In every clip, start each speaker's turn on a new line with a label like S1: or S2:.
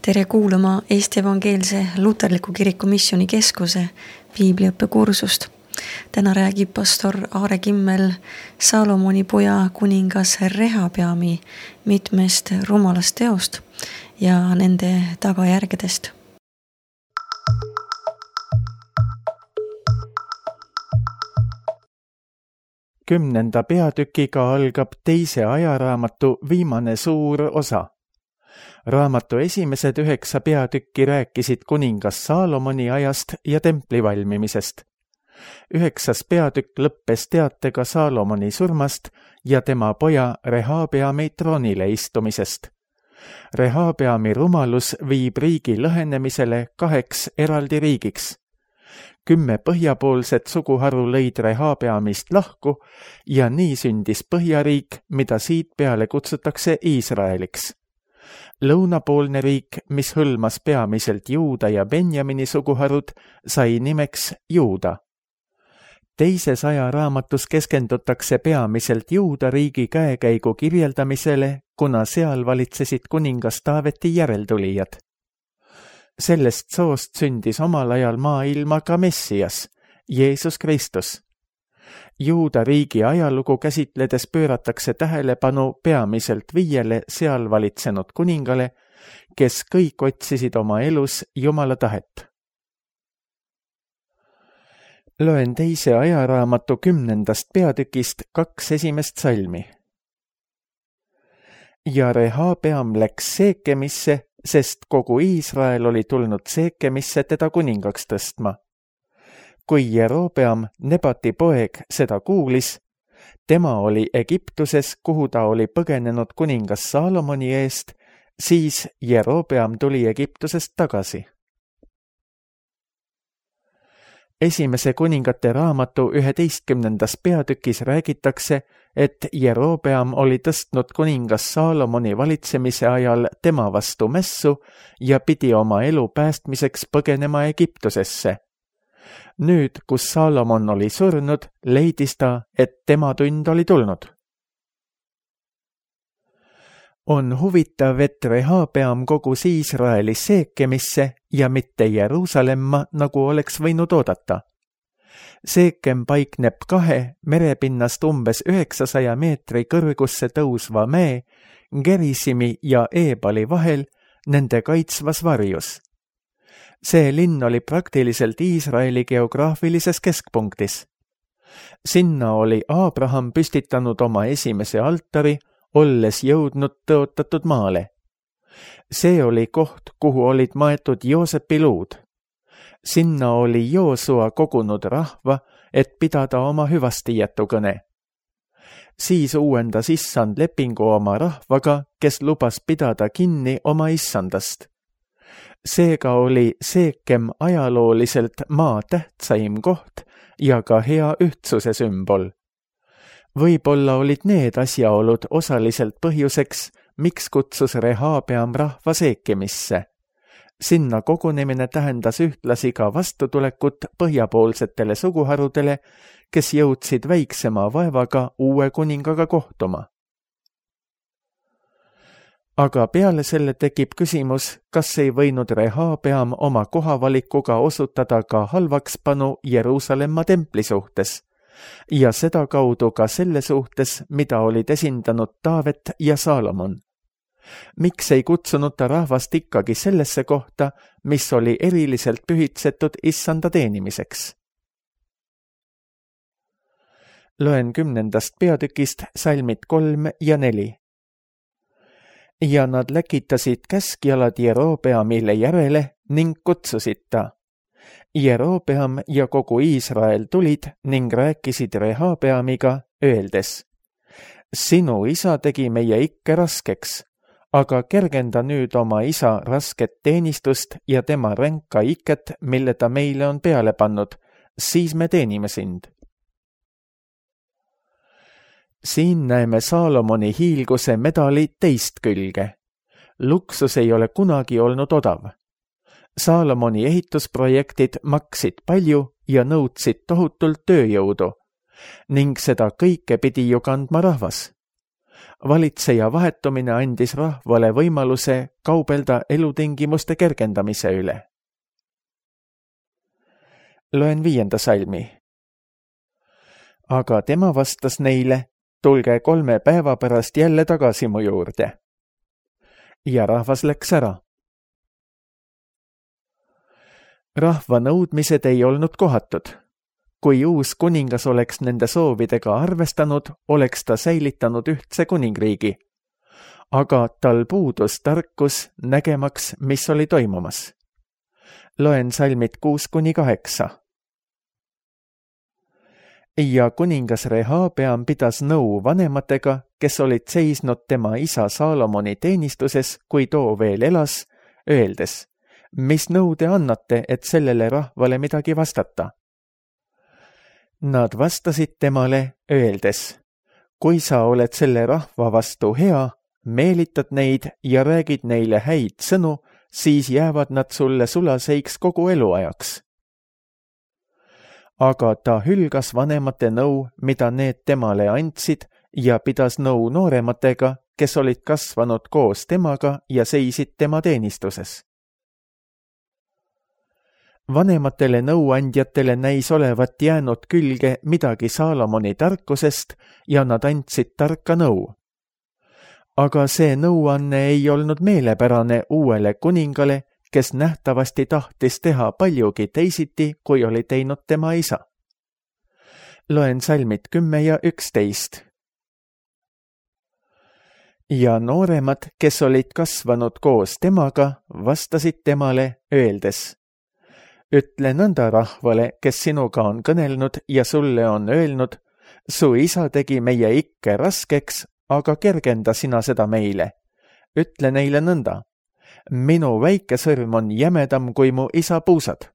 S1: Tere kuulama Eesti Evangeelse Luterliku Kiriku Missiooni Keskuse piibliõppekursust. Täna räägib pastor Aare Kimmel Saalomoni poja kuningas Rehabeami mitmest rumalast teost ja nende tagajärgedest.
S2: Kümnenda peatükiga algab teise ajaraamatu viimane suur osa. Raamatu esimesed 9 peatükki rääkisid kuningas Saalomoni ajast ja templi valmimisest. 9. peatükk lõppes teatega Saalomoni surmast ja tema poja Rehabeami troonile istumisest. Rehabeami rumalus viib riigi lõhenemisele 2 eraldi riigiks. 10 põhjapoolset suguharu lõid Rehabeamist lahku ja nii sündis põhjariik, mida siit peale kutsutakse Iisraeliks. Lõunapoolne riik, mis hõlmas peamiselt Juuda ja Benjamini suguharud, sai nimeks Juuda. Teises ajaraamatus keskendutakse peamiselt Juuda riigi käekäigu kirjeldamisele, kuna seal valitsesid kuningas Taaveti järeltulijad. Sellest soost sündis omal ajal maailma ka Messias, Jeesus Kristus. Juuda riigi ajalugu käsitledes pööratakse tähelepanu peamiselt 5 seal valitsenud kuningale, kes kõik otsisid oma elus Jumala tahet. Loen teise ajaraamatu 10. peatükist 2 esimest salmi. Ja Rehabeam läks Seekemisse, sest kogu Iisrael oli tulnud Seekemisse teda kuningaks tõstma. Kui Jerobeam, Nebati poeg, seda kuulis, tema oli Egiptuses, kuhu ta oli põgenenud kuningas Saalomoni eest, siis Jerobeam tuli Egiptusest tagasi. Esimese kuningate raamatu 11. peatükis räägitakse, et Jerobeam oli tõstnud kuningas Saalomoni valitsemise ajal tema vastu mässu ja pidi oma elu päästmiseks põgenema Egiptusesse. Nüüd, kus Saalomon oli surnud, leidis ta, et tema tund oli tulnud. On huvitav, et Rehabeam kogus Iisraeli Seekemisse ja mitte Jeruusalemma, nagu oleks võinud oodata. Seekem paikneb 2 merepinnast umbes 900 meetri kõrgusse tõusva mäe, Gerisimi ja Eebali vahel, nende kaitsvas varjus. See linn oli praktiliselt Iisraeli geograafilises keskpunktis. Sinna oli Abraham püstitanud oma esimese altari, olles jõudnud tõotatud maale. See oli koht, kuhu olid maetud Joosepi luud. Sinna oli Joosua kogunud rahva, et pidada oma hüvastijätukõne. Siis uuendas issand lepingu oma rahvaga, kes lubas pidada kinni oma issandast. Seega oli Seekem ajalooliselt maa tähtsaim koht ja ka hea ühtsuse sümbol. Võib-olla olid need asjaolud osaliselt põhjuseks, miks kutsus Rehabeam rahva Seekemisse. Sinna kogunemine tähendas ühtlasi ka vastutulekut põhjapoolsetele suguharudele, kes jõudsid väiksema vaevaga uue kuningaga kohtuma. Aga peale selle tekib küsimus, kas ei võinud Rehabeam oma kohavalikuga osutada ka halvakspanu Jeruusalemma templi suhtes ja seda kaudu ka selle suhtes, mida olid esindanud Taavet ja Saalomon. Miks ei kutsunud ta rahvast ikkagi sellesse kohta, mis oli eriliselt pühitsetud issanda teenimiseks? Loen 10. peatükist salmid 3 ja 4. Ja nad läkitasid käskjalad Jerobeamile järele ning kutsusid ta. Jerobeam ja kogu Iisrael tulid ning rääkisid Rehabeamiga, öeldes: Sinu isa tegi meie ikke raskeks, aga kergenda nüüd oma isa rasket teenistust ja tema ränka iket, mille ta meile on peale pannud, siis me teenime sind. Siin näeme Saalomoni hiilguse medali teist külge. Luksus ei ole kunagi olnud odav. Saalomoni ehitusprojektid maksid palju ja nõudsid tohutult tööjõudu, ning seda kõike pidi ju kandma rahvas. Valitseja vahetumine andis rahvale võimaluse kaubelda elutingimuste kergendamise üle. Loen 5. salmi. Aga tema vastas neile, tulge 3 päeva pärast jälle tagasi mu juurde. Ja rahvas läks ära. Rahva nõudmised ei olnud kohatud. Kui uus kuningas oleks nende soovidega arvestanud, oleks ta säilitanud ühtse kuningriigi. Aga tal puudus tarkus nägemaks, mis oli toimumas. Loen salmid 6-8. Ja kuningas Rehabeam pidas nõu vanematega, kes olid seisnud tema isa Saalomoni teenistuses, kui too veel elas, öeldes, mis nõu te annate, et sellele rahvale midagi vastata? Nad vastasid temale, öeldes, kui sa oled selle rahva vastu hea, meelitad neid ja räägid neile häid sõnu, siis jäävad nad sulle sulaseiks kogu eluajaks. Aga ta hülgas vanemate nõu, mida need temale andsid, ja pidas nõu noorematega, kes olid kasvanud koos temaga ja seisid tema teenistuses. Vanematele nõuandjatele näis olevat jäänud külge midagi Saalomoni tarkusest ja nad andsid tarka nõu. Aga see nõuanne ei olnud meelepärane uuele kuningale, kes nähtavasti tahtis teha paljugi teisiti, kui oli teinud tema isa. Loen salmid 10 ja 11. Ja nooremad, kes olid kasvanud koos temaga, vastasid temale, öeldes, ütle nõnda rahvale, kes sinuga on kõnelnud ja sulle on öelnud, su isa tegi meie ikke raskeks, aga kergenda sina seda meile. Ütle neile nõnda, minu väike sõrm on jämedam kui mu isa puusad.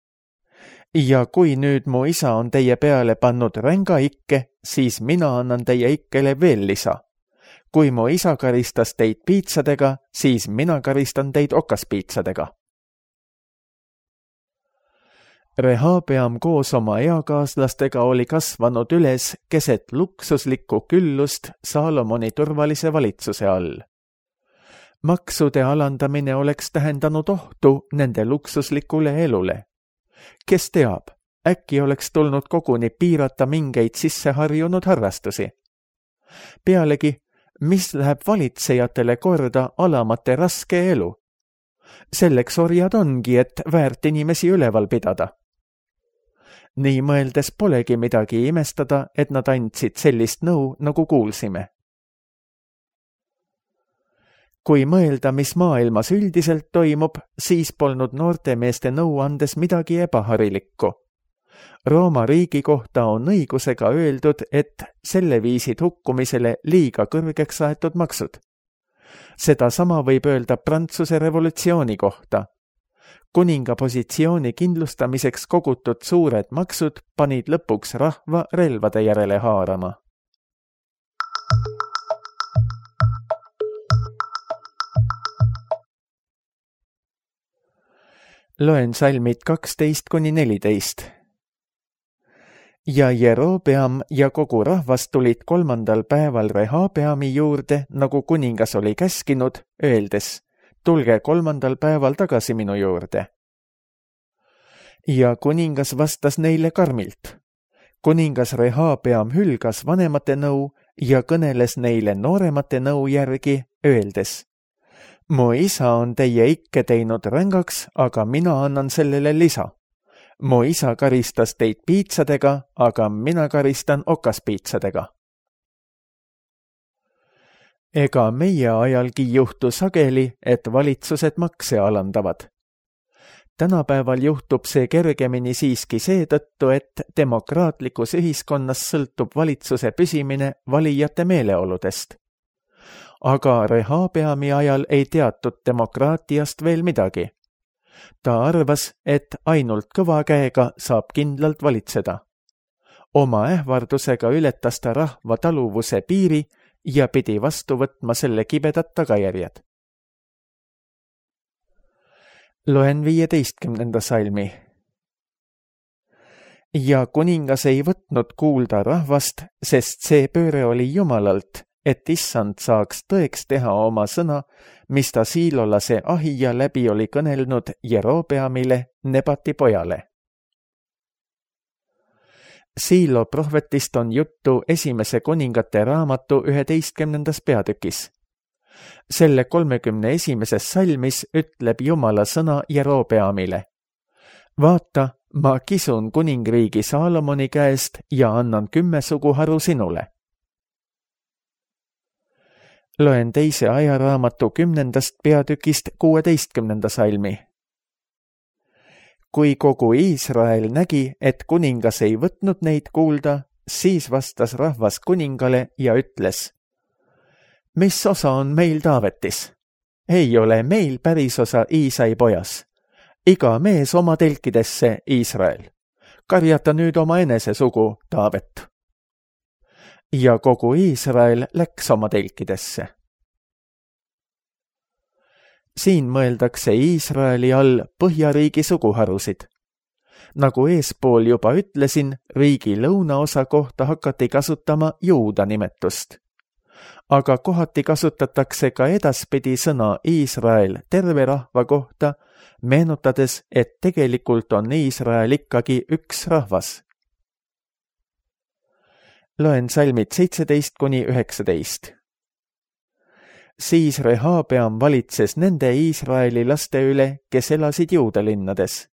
S2: Ja kui nüüd mu isa on teie peale pannud ränga ikke, siis mina annan teie ikkele veel lisa. Kui mu isa karistas teid piitsadega, siis mina karistan teid okaspiitsadega. Rehabeam koos oma eakaaslastega oli kasvanud üles keset luksuslikku küllust Saalomoni turvalise valitsuse all. Maksude alandamine oleks tähendanud ohtu nende luksuslikule elule. Kes teab, äkki oleks tulnud koguni piirata mingeid sisseharjunud harrastusi. Pealegi, mis läheb valitsejatele korda alamate raske elu? Selleks orjad ongi, et väärt inimesi üleval pidada. Nii mõeldes polegi midagi imestada, et nad andsid sellist nõu, nagu kuulsime. Kui mõelda, mis maailmas üldiselt toimub, siis polnud noorte meeste nõu andes midagi ebaharilikku. Rooma riigi kohta on õigusega öeldud, et selle viisid hukkumisele liiga kõrgeks aetud maksud. Seda sama võib öelda Prantsuse revolutsiooni kohta. Kuninga positsiooni kindlustamiseks kogutud suured maksud panid lõpuks rahva relvade järele haarama. Loen salmid 12-14. Ja Jerobeam ja kogu rahvas tulid 3. päeval Rehabeami juurde, nagu kuningas oli käskinud, öeldes, tulge 3. päeval tagasi minu juurde. Ja kuningas vastas neile karmilt. Kuningas Rehabeam hülgas vanemate nõu ja kõneles neile nooremate nõu järgi, öeldes, mu isa on teie ikke teinud rängaks, aga mina annan sellele lisa. Mu isa karistas teid piitsadega, aga mina karistan okaspiitsadega. Ega meie ajalgi juhtu sageli, et valitsused makse alandavad. Tänapäeval juhtub see kergemini siiski seetõttu, et demokraatlikus ühiskonnas sõltub valitsuse püsimine valijate meeleoludest. Aga Rehabeami ajal ei teatud demokraatiast veel midagi. Ta arvas, et ainult kõva käega saab kindlalt valitseda. Oma ähvardusega ületas ta rahva taluvuse piiri ja pidi vastu võtma selle kibedad tagajärjed. Loen 15. salmi. Ja kuningas ei võtnud kuulda rahvast, sest see pööre oli Jumalalt et issand saaks tõeks teha oma sõna, mis ta siilolase Ahija läbi oli kõnelnud Jerobeamile, Nebati pojale. Siilo prohvetist on juttu esimese kuningate raamatu 11. peatükis. Selle 31. salmis ütleb Jumala sõna Jerobeamile. Vaata, ma kisun kuningriigi Saalomoni käest ja annan 10 suguharu sinule. Loen teise ajaraamatu 10. peatükist 16. salmi. Kui kogu Iisrael nägi, et kuningas ei võtnud neid kuulda, siis vastas rahvas kuningale ja ütles: mis osa on meil Taavetis? Ei ole meil päris osa Iisai pojas. Iga mees oma telkidesse, Iisrael. Karjata nüüd oma enese sugu, Taavet. Ja kogu Iisrael läks oma telkidesse. Siin mõeldakse Iisraeli all Põhjariigi suguharusid. Nagu eespool juba ütlesin, riigi lõunaosa kohta hakati kasutama Juuda nimetust. Aga kohati kasutatakse ka edaspidi sõna Iisrael terve rahva kohta, meenutades, et tegelikult on Iisrael ikkagi üks rahvas. Loen salmid 17-19. Siis Rehabeam valitses nende Iisraeli laste üle, kes elasid Juuda linnades.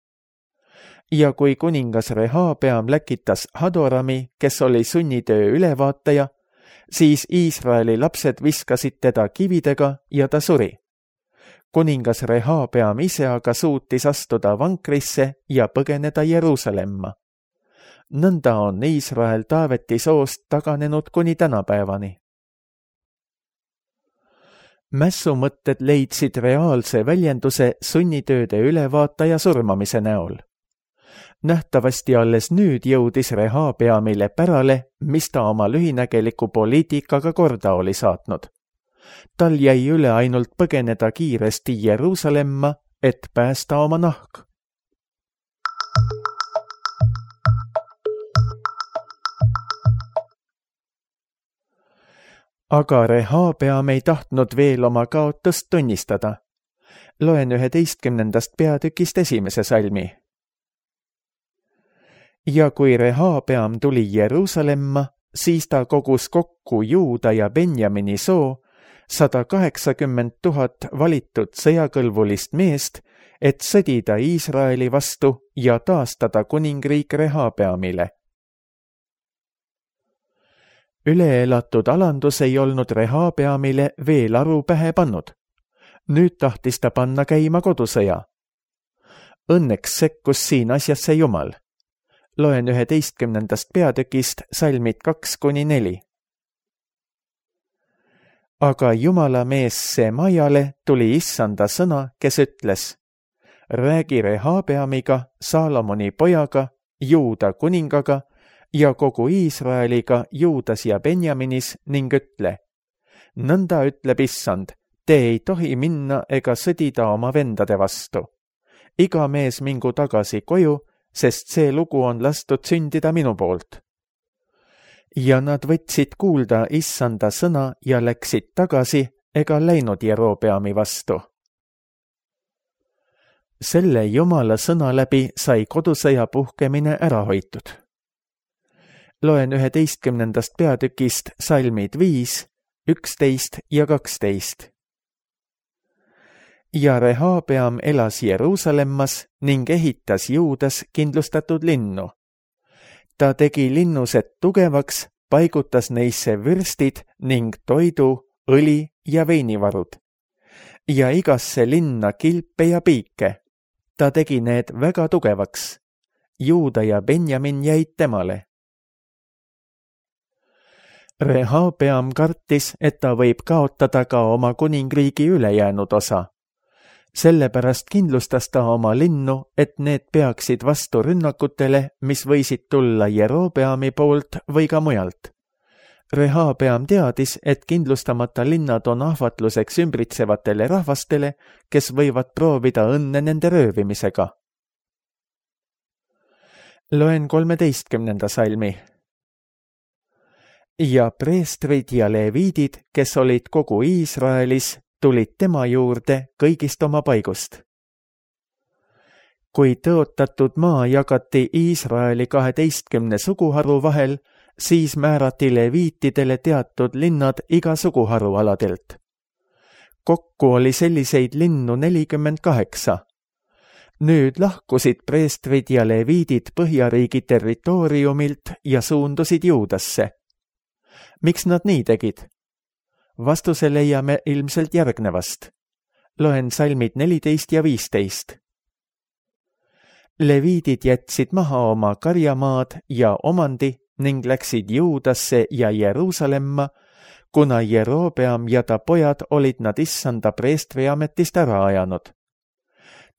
S2: Ja kui kuningas Rehabeam läkitas Hadorami, kes oli sunnitöö ülevaataja, siis Iisraeli lapsed viskasid teda kividega ja ta suri. Kuningas Rehabeam ise aga suutis astuda vankrisse ja põgeneda Jeruusalemma. Nõnda on Iisrael Taaveti soost taganenud kuni tänapäevani. Mässumõtted leidsid reaalse väljenduse sunnitööde ülevaataja surmamise näol. Nähtavasti alles nüüd jõudis Rehabeamile pärale, mis ta oma lühinägeliku poliitikaga korda oli saatnud. Tal jäi üle ainult põgeneda kiiresti Jeruusalemma, et päästa oma nahk. Aga Rehabeam ei tahtnud veel oma kaotust tunnistada. Loen 11. peatükist 1. salmi. Ja kui Rehabeam tuli Jeruusalemma, siis ta kogus kokku Juuda ja Benjamini soo 180 000 valitud sõjakõlbulist meest, et sõdida Iisraeli vastu ja taastada kuningriik Rehabeamile. Üleelatud alandus ei olnud Rehabeamile veel aru pähe pannud. Nüüd tahtis ta panna käima kodusõja. Õnneks sekkus siin asjasse Jumal. Loen 11. peatükist salmid 2-4. Aga Jumala mees Semajale tuli issanda sõna, kes ütles: räägi Rehabeamiga, Saalomoni pojaga, Juuda kuningaga ja kogu Iisraeliga Juudas ja Benjaminis ning ütle: nõnda ütleb issand, te ei tohi minna ega sõdida oma vendade vastu. Iga mees mingu tagasi koju, sest see lugu on lastud sündida minu poolt. Ja nad võtsid kuulda issanda sõna ja läksid tagasi ega läinud Jerobeami vastu. Selle Jumala sõna läbi sai kodusõja puhkemine ära hoitud. Loen 11. peatükist salmid 5, 11 ja 12. Ja Rehabeam elas Jeruusalemmas ning ehitas Juudas kindlustatud linnu. Ta tegi linnused tugevaks, paigutas neisse vürstid ning toidu, õli ja veinivarud. Ja igasse linna kilpe ja piike. Ta tegi need väga tugevaks. Juuda ja Benjamin jäid temale. Rehabeam kartis, et ta võib kaotada ka oma kuningriigi ülejäänud osa. Sellepärast kindlustas ta oma linnu, et need peaksid vastu rünnakutele, mis võisid tulla Jerobeami poolt või ka mujalt. Rehabeam teadis, et kindlustamata linnad on ahvatluseks ümbritsevatele rahvastele, kes võivad proovida õnne nende röövimisega. Loen 13. salmi. ja preestrid ja leviidid, kes olid kogu Iisraelis, tulid tema juurde kõigist oma paigust. Kui tõotatud maa jagati Iisraeli 12 suguharu vahel, siis määrati leviitidele teatud linnad iga suguharu aladelt. Kokku oli selliseid linnu 48. Nüüd lahkusid preestrid ja leviidid Põhjariigi territooriumilt ja suundusid Juudasse. Miks nad nii tegid? Vastuse leiame ilmselt järgnevast. Loen salmid 14 ja 15. Leviidid jätsid maha oma karjamaad ja omandi ning läksid Juudasse ja Jeruusalemma, kuna Jerobeam ja ta pojad olid nad issanda preestri ametist ära ajanud.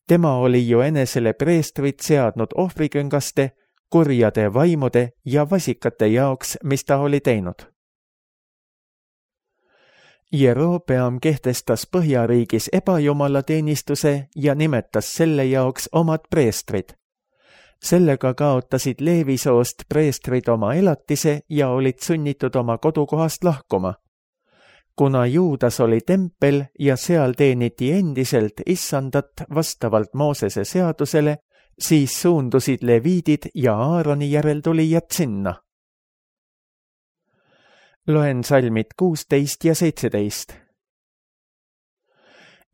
S2: Tema oli ju enesele preestrid seadnud ohvriküngaste, kurjade vaimude ja vasikate jaoks, mis ta oli teinud. Jerobeam kehtestas Põhjariigis ebajumalateenistuse ja nimetas selle jaoks omad preestrid. Sellega kaotasid Leevisoost preestrid oma elatise ja olid sunnitud oma kodukohast lahkuma. Kuna Juudas oli tempel ja seal teeniti endiselt issandat vastavalt Moosese seadusele, siis suundusid leviidid ja Aaroni järeltulijad sinna. Loen salmid 16 ja 17.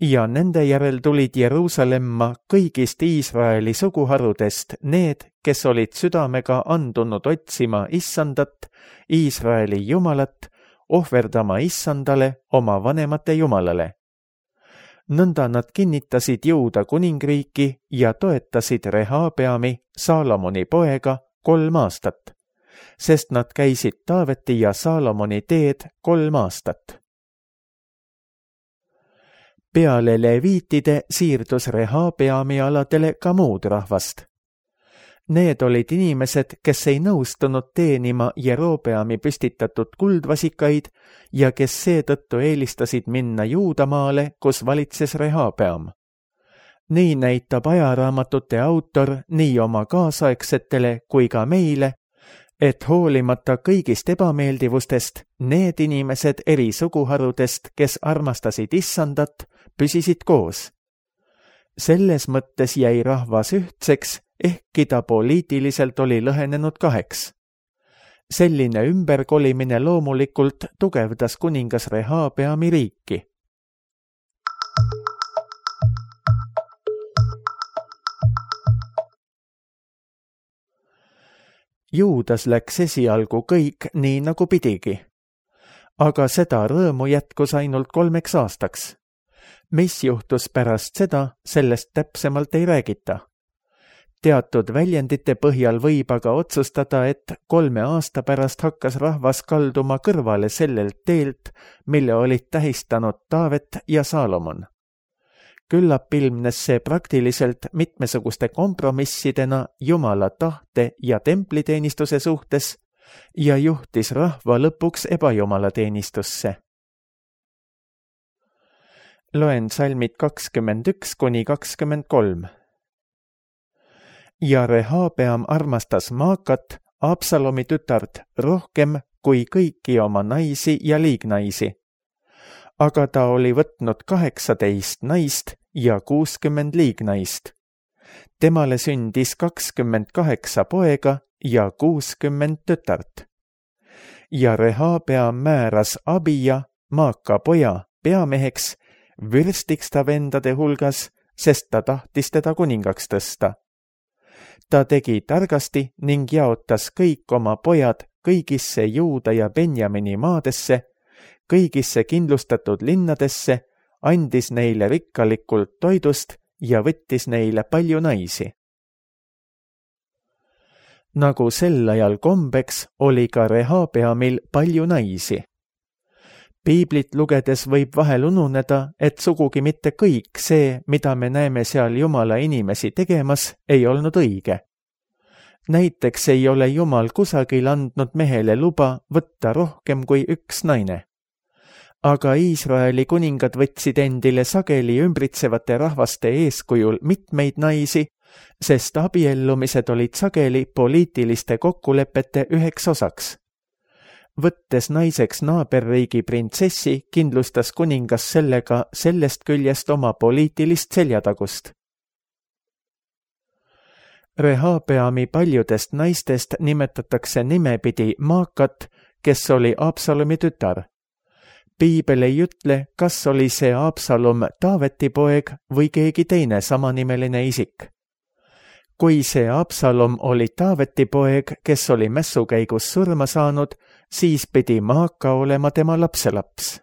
S2: Ja nende järel tulid Jeruusalemma kõigist Iisraeli suguharudest need, kes olid südamega andunud otsima issandat, Iisraeli jumalat, ohverdama issandale oma vanemate jumalale. Nõnda nad kinnitasid Juuda kuningriiki ja toetasid Rehabeami, Saalomoni poega, 3 aastat, sest nad käisid Taaveti ja Saalomoni teed 3 aastat. Peale leviitide siirdus Rehabeami aladele ka muud rahvast. Need olid inimesed, kes ei nõustunud teenima Jerobeami püstitatud kuldvasikaid ja kes seetõttu eelistasid minna Juudamaale, kus valitses Rehabeam. Nii näitab ajaraamatute autor nii oma kaasaegsetele kui ka meile, et hoolimata kõigist ebameeldivustest, need inimesed eri suguharudest, kes armastasid issandat, püsisid koos. Selles mõttes jäi rahvas ühtseks, ehkki ta poliitiliselt oli lõhenenud 2. Selline ümberkolimine loomulikult tugevdas kuningas Rehabeami riiki. Juudas läks esialgu kõik nii nagu pidigi, aga seda rõõmu jätkus ainult 3 aastaks. Mis juhtus pärast seda, sellest täpsemalt ei räägita. Teatud väljendite põhjal võib aga otsustada, et 3 aasta pärast hakkas rahvas kalduma kõrvale sellelt teelt, mille olid tähistanud Taavet ja Saalomon. Küllap ilmnes see praktiliselt mitmesuguste kompromissidena Jumala tahte ja templiteenistuse suhtes ja juhtis rahva lõpuks ebajumalateenistusse. Loen salmid 21 kuni 23. Ja Rehabeam armastas Maakat, Absalomi tütart, rohkem kui kõiki oma naisi ja liignaisi. Aga ta oli võtnud 18 naist ja 60 liignaist. Temale sündis 28 poega ja 60 tütart. Ja Rehabeam määras Abija, Maaka poja, peameheks, vürstiks ta vendade hulgas, sest ta tahtis teda kuningaks tõsta. Ta tegi targasti ning jaotas kõik oma pojad kõigisse Juuda ja Benjamini maadesse, kõigisse kindlustatud linnadesse, andis neile rikkalikult toidust ja võttis neile palju naisi. Nagu sel ajal kombeks, oli ka Rehabeamil palju naisi. Piiblit lugedes võib vahel ununeda, et sugugi mitte kõik see, mida me näeme seal Jumala inimesi tegemas, ei olnud õige. Näiteks ei ole Jumal kusagil andnud mehele luba võtta rohkem kui 1 naine. Aga Iisraeli kuningad võtsid endile sageli ümbritsevate rahvaste eeskujul mitmeid naisi, sest abiellumised olid sageli poliitiliste kokkulepete üheks osaks. võttes naiseks naaberriigi printsessi, kindlustas kuningas sellega sellest küljest oma poliitilist seljatagust. Rehabeami paljudest naistest nimetatakse nimepidi Maakat, kes oli Absalomi tütar. Piibel ei ütle, kas oli see Absalom Taaveti poeg või keegi teine samanimeline isik. Kui see Absalom oli Taaveti poeg, kes oli mässukäigus surma saanud, siis pidi Maaka olema tema lapselaps.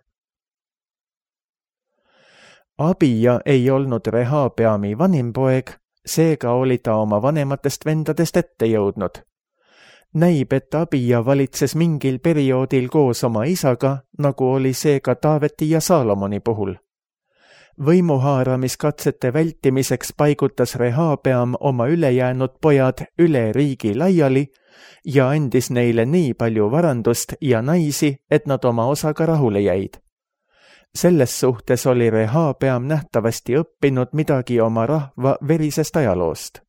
S2: Abija ei olnud Rehabeami vanim poeg, seega oli ta oma vanematest vendadest ette jõudnud. Näib, et Abija valitses mingil perioodil koos oma isaga, nagu oli see ka Taaveti ja Saalomoni puhul. Võimuhaaramiskatsete vältimiseks paigutas Rehabeam oma ülejäänud pojad üle riigi laiali ja andis neile nii palju varandust ja naisi, et nad oma osaga rahule jäid. Selles suhtes oli Rehabeam nähtavasti õppinud midagi oma rahva verisest ajaloost.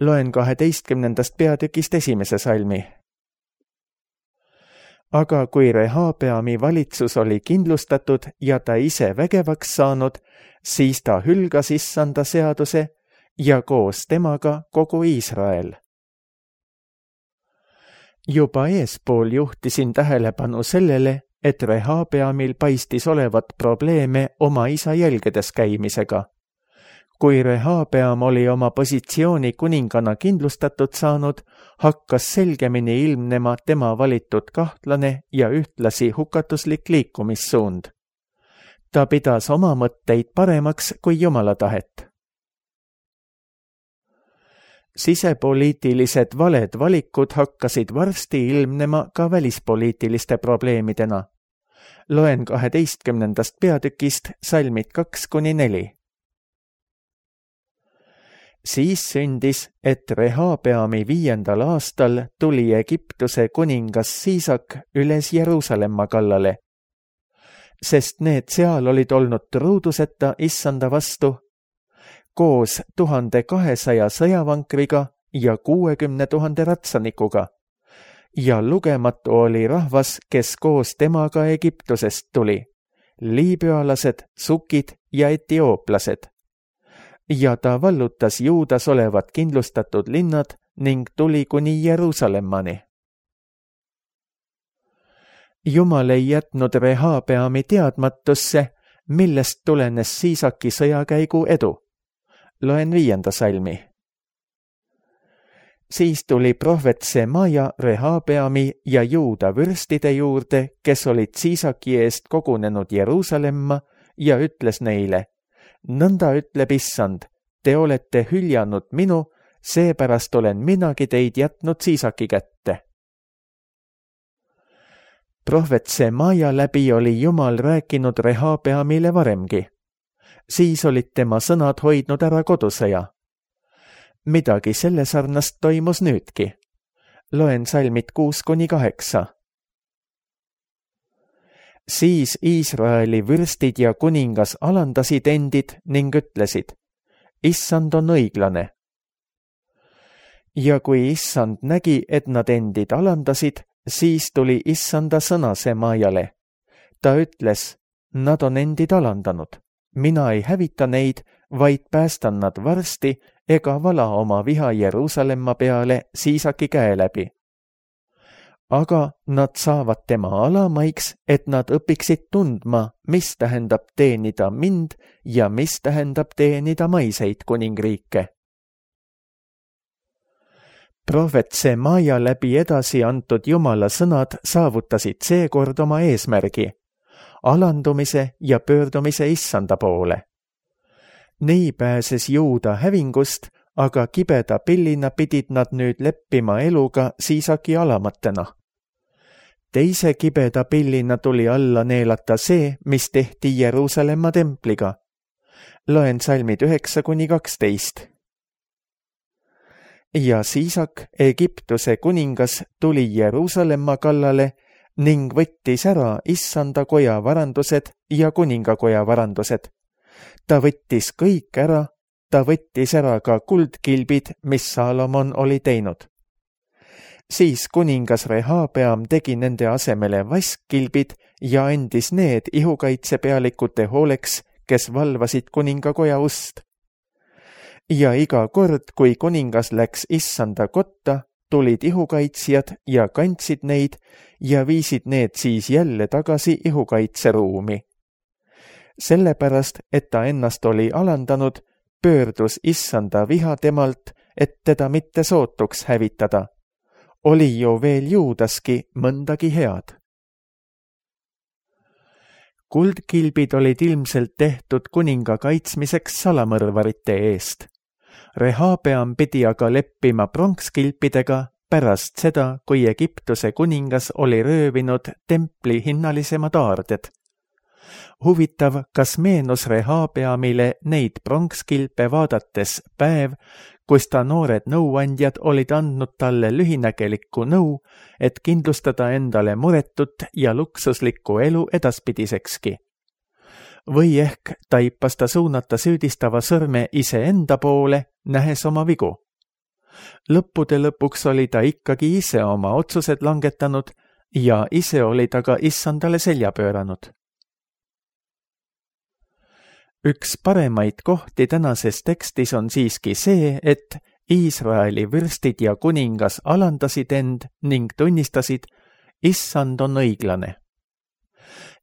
S2: Loen 12. peatükist 1. salmi. Aga kui Rehabeami valitsus oli kindlustatud ja ta ise vägevaks saanud, siis ta hülgas Issanda seaduse ja koos temaga kogu Iisrael. Juba eespool juhtisin tähelepanu sellele, et Rehabeamil paistis olevat probleeme oma isa jälgedes käimisega. Kui Rehabeam oli oma positsiooni kuningana kindlustatud saanud, hakkas selgemini ilmnema tema valitud kahtlane ja ühtlasi hukatuslik liikumissuund. Ta pidas oma mõtteid paremaks kui Jumala tahet. Sisepoliitilised valed valikud hakkasid varsti ilmnema ka välispoliitiliste probleemidena. Loen 12. peatükist salmid 2-4. Siis sündis, et Rehabeami 5. aastal tuli Egiptuse kuningas Siisak üles Jeruusalemma kallale, sest need seal olid olnud truuduseta Issanda vastu, koos 1200 sõjavankriga ja 60 000 ratsanikuga, ja lugematu oli rahvas, kes koos temaga Egiptusest tuli, liibüalased, sukid ja etiooplased. Ja ta vallutas Juudas olevat kindlustatud linnad ning tuli kuni Jeruusalemmani. Jumal ei jätnud Rehabeami teadmatusse, millest tulenes Siisaki sõjakäigu edu. Loen 5. salmi. Siis tuli prohvet Semaja Rehabeami ja Juuda vürstide juurde, kes olid Siisaki eest kogunenud Jeruusalemma, ja ütles neile: nõnda ütleb Issand, te olete hüljanud minu, seepärast olen minagi teid jätnud Siisaki kätte. Prohvet Semaja läbi oli Jumal rääkinud Rehabeamile varemgi. Siis olid tema sõnad hoidnud ära kodusõja. Midagi selle sarnast toimus nüüdki. Loen salmid 6-8. Siis Iisraeli vürstid ja kuningas alandasid endid ning ütlesid: Issand on õiglane. Ja kui Issand nägi, et nad endid alandasid, siis tuli Issanda sõna Semajale. Ta ütles: nad on endid alandanud. Mina ei hävita neid, vaid päästan nad varsti ega vala oma viha Jeruusalemma peale Siisaki käe läbi. Aga nad saavad tema alamaiks, et nad õpiksid tundma, mis tähendab teenida mind ja mis tähendab teenida maiseid kuningriike. Prohvet Semaja läbi edasi antud Jumala sõnad saavutasid seekord oma eesmärgi, alandumise ja pöördumise Issanda poole. Nii pääses Juuda hävingust, aga kibeda pillina pidid nad nüüd leppima eluga Siisaki alamatena. Teise kibeda pillina tuli alla neelata see, mis tehti Jeruusalemma templiga. Loen salmid 9-12. Ja Siisak, Egiptuse kuningas, tuli Jeruusalemma kallale ning võttis ära Issanda koja varandused ja kuningakoja varandused. Ta võttis kõik ära, ta võttis ära ka kuldkilbid, mis Saalomon oli teinud. Siis kuningas Rehabeam tegi nende asemele vaskkilbid ja andis need ihukaitsepealikute hooleks, kes valvasid kuningakoja ust. Ja iga kord, kui kuningas läks issanda kotta, tulid ihukaitsjad ja kandsid neid ja viisid need siis jälle tagasi ihukaitseruumi. Sellepärast, et ta ennast oli alandanud, pöördus issanda viha temalt, et teda mitte sootuks hävitada. Oli ju veel Juudaski mõndagi head. Kuldkilbid olid ilmselt tehtud kuninga kaitsmiseks salamõrvarite eest. Rehabeam pidi aga leppima pronkskilpidega pärast seda, kui Egiptuse kuningas oli röövinud templi hinnalisemad aarded. Huvitav, kas meenus Rehabeamile neid pronkskilpe vaadates päev, kus ta noored nõuandjad olid andnud talle lühinägelikku nõu, et kindlustada endale muretut ja luksuslikku elu edaspidisekski. Või ehk taipas ta suunata süüdistava sõrme iseenda poole, nähes oma vigu. Lõppude lõpuks oli ta ikkagi ise oma otsused langetanud ja ise oli ta ka issandale selja pööranud. Üks paremaid kohti tänases tekstis on siiski see, et Iisraeli vürstid ja kuningas alandasid end ning tunnistasid, issand on õiglane.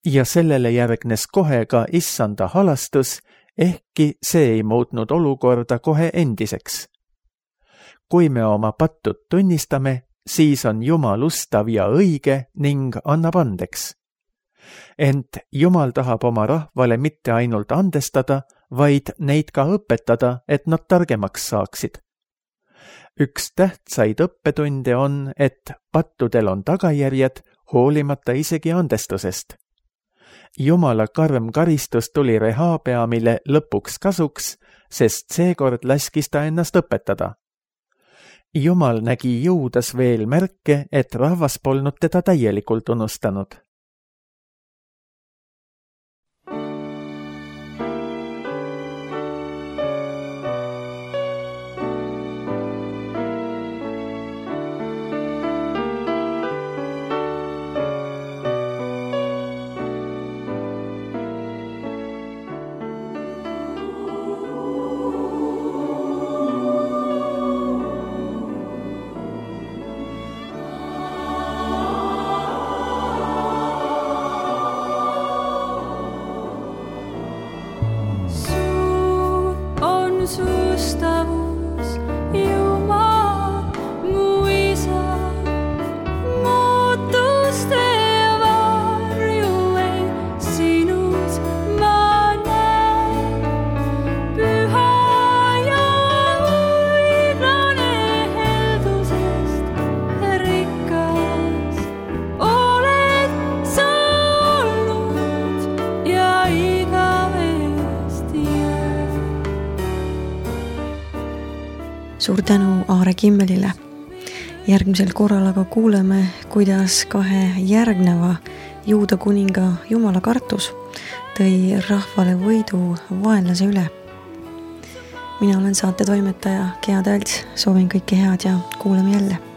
S2: Ja sellele järgnes kohe ka issanda halastus, ehkki see ei muutnud olukorda kohe endiseks. Kui me oma pattud tunnistame, siis on Jumal ustav ja õige ning annab andeks. Ent Jumal tahab oma rahvale mitte ainult andestada, vaid neid ka õpetada, et nad targemaks saaksid. Üks tähtsaid õppetunde on, et pattudel on tagajärjed, hoolimata isegi andestusest. Jumala karm karistus tuli Rehabeamile lõpuks kasuks, sest seekord laskis ta ennast õpetada. Jumal nägi Juudas veel märke, et rahvas polnud teda täielikult unustanud.
S3: Sustavus, Jumal, mu isa, muutuste varju ei sinus ma näen. Püha ja õiglane heldusest rikas oled sa olnud ja igavesti jääd.
S1: Suur tänu Aare Kimmelile. Järgmisel korral aga kuuleme, kuidas kahe järgneva Juuda kuninga Jumala kartus tõi rahvale võidu vaenlase üle. Mina olen saate toimetaja Gea Tälts, soovin kõike head ja kuuleme jälle.